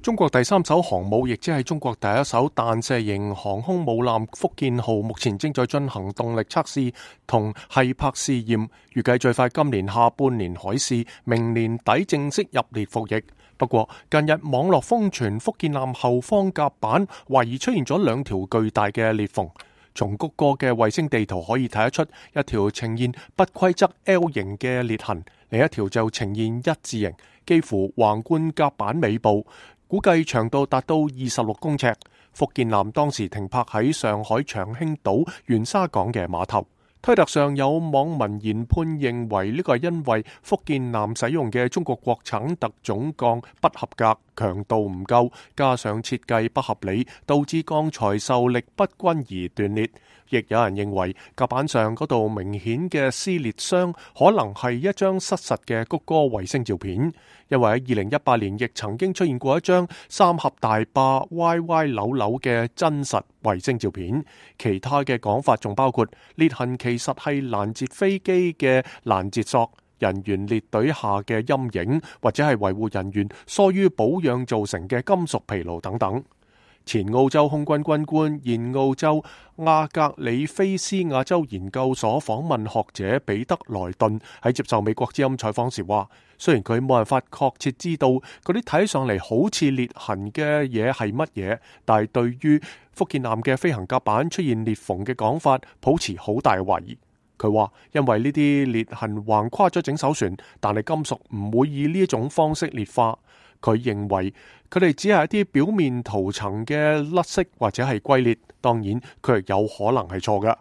中國第三艘航母，亦即係中國第一艘彈射型航空母艦福建號，目前正在進行動力測試同繫泊試驗，預計最快今年下半年海試，明年底正式入列服役。不過，近日網絡瘋傳福建艦後方甲板懷疑出現咗兩條巨大嘅裂縫，從谷歌嘅衛星地圖可以睇得出，一條呈現不規則 L 型嘅裂痕，另一條就呈現一字形，幾乎橫貫甲板尾部。估計長度達到26公尺。福建艦當時停泊喺上海長興島元沙港嘅碼頭。推特上有網民研判認為呢個係因為福建艦使用嘅中國國產特種鋼不合格，強度唔夠，加上設計不合理，導致鋼材受力不均而斷裂。亦有人認為甲板上嗰度明顯嘅撕裂傷可能係一張失實嘅谷歌衛星照片，因為喺2018年亦曾經出現過一張三峽大壩歪歪扭扭嘅真實衛星照片。其他嘅講法仲包括裂痕其實係攔截飛機嘅攔截索、人員列隊下嘅陰影，或者係維護人員疏於保養造成嘅金屬疲勞等等。前澳洲空軍軍官、現澳洲亞格里菲斯亞洲研究所訪問學者彼得萊頓喺接受美國之音採訪時話，雖然佢冇辦法確切知道嗰啲睇上嚟好似裂痕嘅嘢係乜嘢，但係對於福建艦嘅飛行甲板出現裂縫嘅講法抱持好大嘅懷疑。佢話因為呢啲裂痕橫跨咗整艘船，但係金屬唔會以呢一種方式裂化。佢認為佢哋只係一啲表面塗層嘅甩色或者係龜裂，當然佢亦有可能係錯嘅。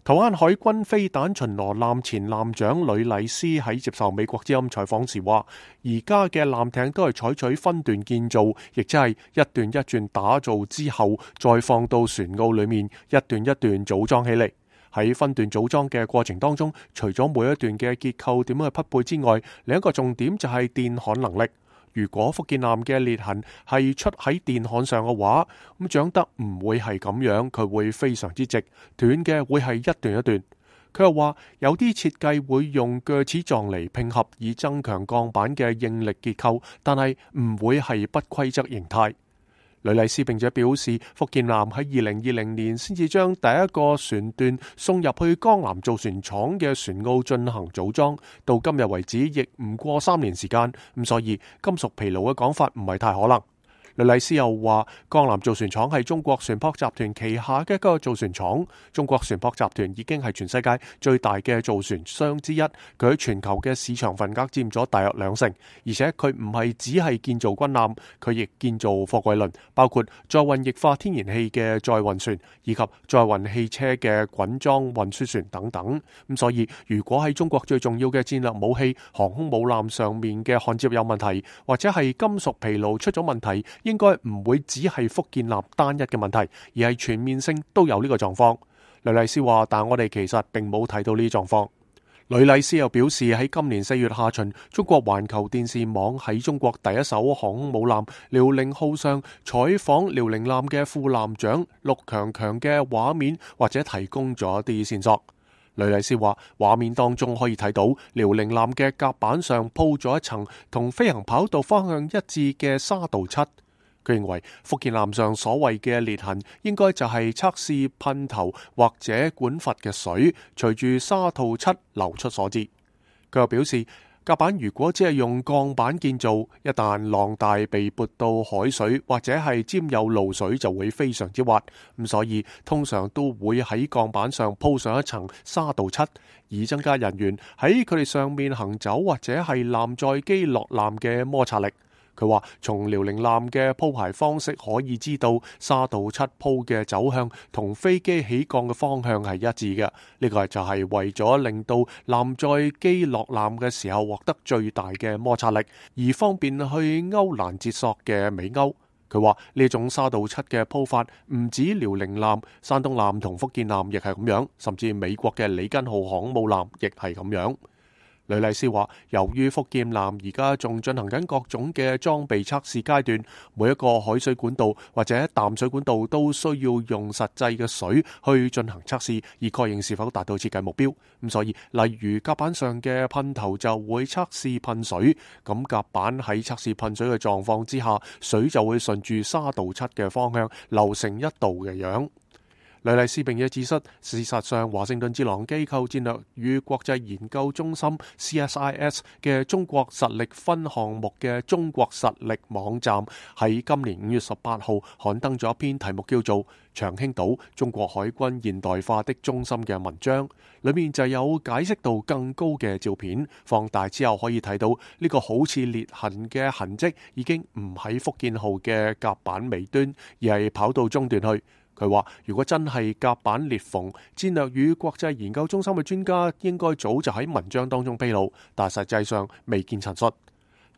台灣海軍飛彈巡邏艦前艦長呂禮斯喺接受美國之音採訪時話，而家嘅艦艇都係採取分段建造，亦即係一段一段打造之後再放到船塢裏面一段一段組裝起嚟。喺分段組裝嘅過程當中，除咗每一段嘅結構點樣去匹配之外，另一個重點就係電焊能力。如果福建艦嘅裂痕係出喺電焊上嘅話，咁長得唔會係咁樣，佢會非常之直，斷嘅會係一段一段。佢又話有啲設計會用鋸齒狀嚟拼合，以增強鋼板嘅應力結構，但係唔會係不規則形態。呂禮斯並且表示，福建艦喺2020年先至將第一個船段送入去江南造船廠嘅船塢進行組裝，到今日為止亦唔過3年時間，咁所以金屬疲勞嘅講法唔係太可能。呂禮斯又話，江南造船廠係中國船舶集團旗下嘅一個造船廠。中國船舶集團已經係全世界最大嘅造船商之一，佢喺全球嘅市場份額佔咗大約2成。而且佢唔係只係建造軍艦，佢亦建造貨櫃輪，包括載運液化天然氣嘅載運船，以及載運汽車嘅滾裝運輸船等等。咁所以，如果喺中國最重要嘅戰略武器航空母艦上面嘅焊接有問題，或者係金屬疲勞出咗問題，應該唔會只係福建艦單一嘅問題，而係全面性都有呢個狀況。呂禮斯話，但我哋其實並冇睇到呢啲狀況。呂禮斯又表示，喺今年4月下旬，中國環球電視網喺中國第一艘航空母艦遼寧號上採訪遼寧艦嘅副艦長陸強強嘅畫面，或者提供咗啲線索。呂禮斯話，畫面當中可以睇到遼寧艦嘅甲板上鋪咗一層同飛行跑道方向一致嘅沙鍍漆。佢認為福建艦上所謂嘅裂痕應該就係測試噴頭或者管閥嘅水隨住沙鍍漆流出所致。佢又表示，甲板如果只係用鋼板建造，一旦浪大被撥到海水或者係沾有露水，就會非常之滑。咁所以通常都會喺鋼板上鋪上一層沙鍍漆，以增加人員喺佢哋上面行走或者係艦載機落艦嘅摩擦力。佢話從遼寧艦嘅鋪排方式可以知道，沙鍍漆鋪嘅走向同飛機起降嘅方向係一致嘅。呢個就係為咗令到艦載機落艦嘅時候獲得最大嘅摩擦力，而方便去勾攔截索嘅尾勾。佢話呢種沙鍍漆嘅鋪法唔止遼寧艦、山東艦同福建艦亦係咁樣，甚至美國嘅里根號航母艦亦係咁樣。呂麗斯話，由於福建艦而家仲進行緊各種嘅裝備測試階段，每一個海水管道或者淡水管道都需要用實際嘅水去進行測試，以確認是否達到設計目標。咁所以，例如甲板上嘅噴頭就會測試噴水，咁甲板喺測試噴水嘅狀況之下，水就會順住沙道七嘅方向流成一道嘅樣。呂麗斯並且指出，事實上華盛頓智囊機構戰略與國際研究中心 CSIS 嘅中國實力分項目嘅中國實力網站喺今年5月18號刊登咗一篇題目叫做《長興島中國海軍現代化的中心》嘅文章，裏面就有解釋度更高嘅照片，放大之後可以睇到呢個好似裂痕嘅痕跡已經唔喺福建號嘅甲板尾端，而係跑到中段去。佢話：如果真係甲板裂縫，戰略與國際研究中心嘅專家應該早就喺文章當中披露，但實際上未見陳述。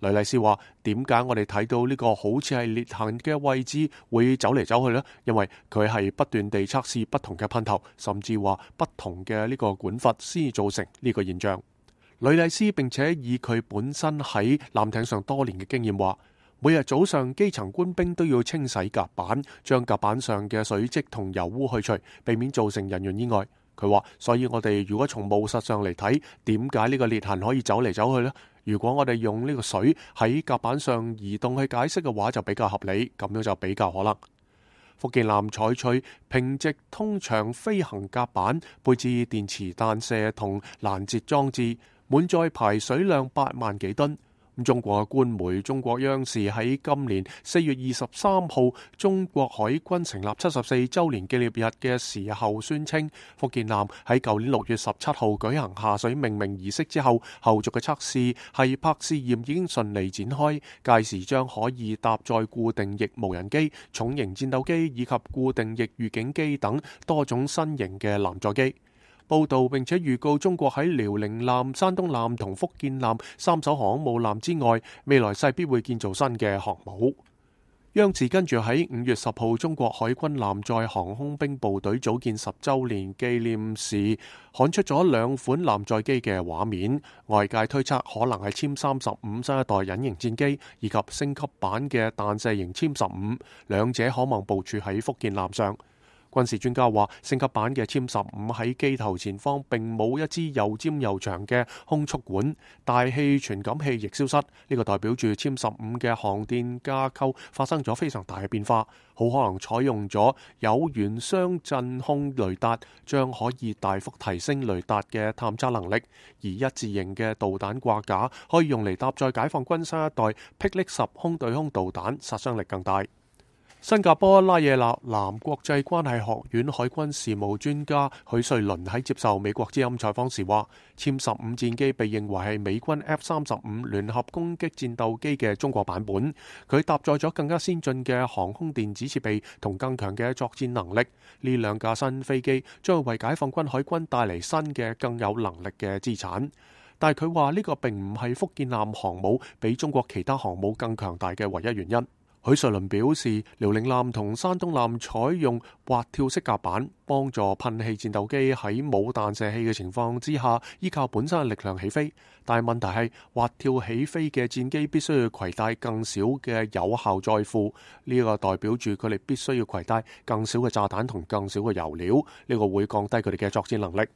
呂麗斯話：點解我哋睇到呢個好似係裂痕嘅位置會走嚟走去呢？因為佢係不斷地測試不同嘅噴頭，甚至話不同嘅呢個管閥先造成呢個現象。呂麗斯並且以佢本身喺艦艇上多年嘅經驗話：每日早上基層官兵都要清洗甲板，將甲板上嘅水漬同油污去除，避免造成人員意外。佢話，所以我哋如果從務實上嚟睇，點解呢個裂痕可以走嚟走去呢？如果我哋用呢個水喺甲板上移動去解釋嘅話，就比較合理，咁樣就比較可能。福建艦採取平直通長飛行甲板，配置電磁彈射同攔截裝置，滿載排水量8萬幾噸。中國嘅官媒中國央視喺今年4月23號中國海軍成立74週年紀念日嘅時候宣稱，福建艦喺舊年6月17號舉行下水命名儀式之後，後續嘅測試係拍試驗已經順利展開，屆時將可以搭載固定翼無人機、重型戰鬥機以及固定翼預警機等多種新型嘅艦載機。報道並且預告，中國喺遼寧艦、山東艦同福建艦3艘航空母艦之外，未來勢必會建造新嘅航母。央視跟住喺5月10號中國海軍艦載航空兵部隊組建10週年紀念時，刊出咗2款艦載機嘅畫面，外界推測可能係殲35新一代隱形戰機，以及升級版嘅彈射型殲15，兩者可望部署喺福建艦上。軍事專家話，升級版嘅殲15喺機頭前方並冇一支又尖又長嘅空速管，大氣傳感器亦消失，呢個代表住殲15嘅航電架構發生咗非常大嘅變化，好可能採用咗有源雙震控雷達，將可以大幅提升雷達嘅探測能力，而一字型嘅導彈掛架可以用嚟搭載解放軍新一代霹靂10空對空導彈，殺傷力更大。新加坡拉惹納南國際關係學院海軍事務專家許瑞麟喺接受美國之音採訪時話，殲15戰機被認為係美軍 F-35聯合攻擊戰鬥機嘅中國版本，佢搭載咗更加先進嘅航空電子設備同更強嘅作戰能力。呢兩架新飛機將會為解放軍海軍帶嚟新嘅更有能力嘅資產。但係佢話呢個並唔係福建艦航母比中國其他航母更強大嘅唯一原因。許瑞麟表示，遼寧艦同山東艦採用滑跳式甲板，幫助噴氣戰鬥機喺冇彈射器嘅情況之下，依靠本身嘅力量起飛。但係問題係，滑跳起飛嘅戰機必須要攜帶更少嘅有效載負，呢個代表住佢哋必須要攜帶更少嘅炸彈同更少嘅油料，呢個會降低佢哋嘅作戰能力。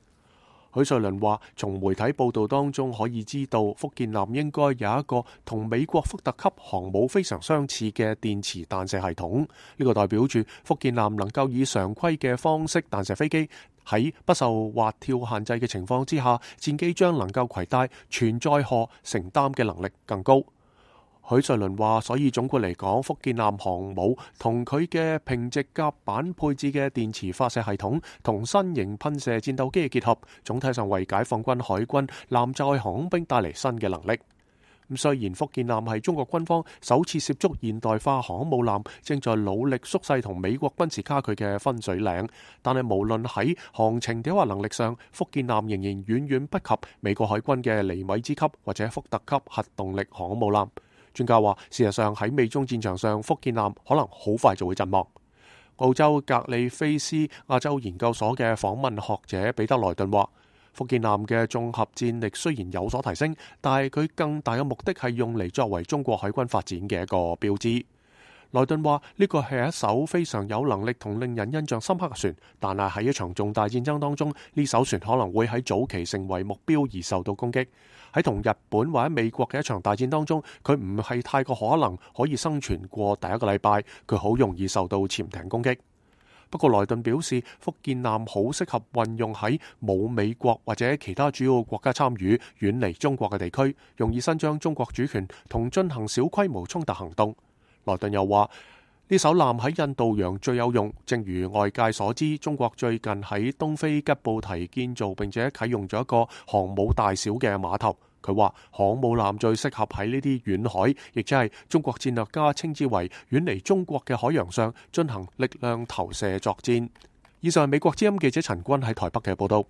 許瑞麟話，從媒體報道當中可以知道，福建艦應該有一個同美國福特級航母非常相似嘅電磁彈射系統。呢個代表住福建艦能夠以常規嘅方式彈射飛機，喺不受滑跳限制嘅情況之下，戰機將能夠攜帶全載荷承擔嘅能力更高。許瑞麟話，所以總括嚟講，福建艦航母同佢嘅平直甲板配置嘅電磁發射系統同新型噴射戰鬥機嘅結合，總體上為解放軍海軍艦載航空兵帶嚟新嘅能力。咁雖然福建艦係中國軍方首次涉足現代化航空母艦，正在努力縮細同美國軍事差距嘅分水嶺，但係無論喺航程定或能力上，福建艦仍然遠遠不及美國海軍嘅尼米茲級或者福特級核動力航空母艦。專家話，事實上喺美中戰場上，福建艦可能好快就會陣亡。澳洲格里菲斯亞洲研究所嘅訪問學者彼得萊頓話，福建艦嘅綜合戰力雖然有所提升，但係佢更大嘅目的係用嚟作為中國海軍發展嘅一個標誌。萊頓話呢個係一艘非常有能力同令人印象深刻嘅船，但係喺一場重大戰爭當中，呢艘船可能會喺早期成為目標而受到攻擊。喺同日本或者美國嘅一場大戰當中，佢唔係太過可能可以生存過第一個禮拜，佢好容易受到潛艇攻擊。不過萊頓表示，福建艦好適合運用喺冇美國或者其他主要國家參與、遠離中國嘅地區，容易伸張中國主權同進行小規模衝突行動。萊頓又話，呢艘艦喺印度洋最有用，正如外界所知，中國最近喺東非吉布提建造並且啟用咗一個航母大小嘅碼頭。佢話航母艦最適合喺呢啲遠海，亦即係中國戰略家稱之為遠離中國嘅海洋上進行力量投射作戰。以上係美國之音記者陳君喺台北嘅報道。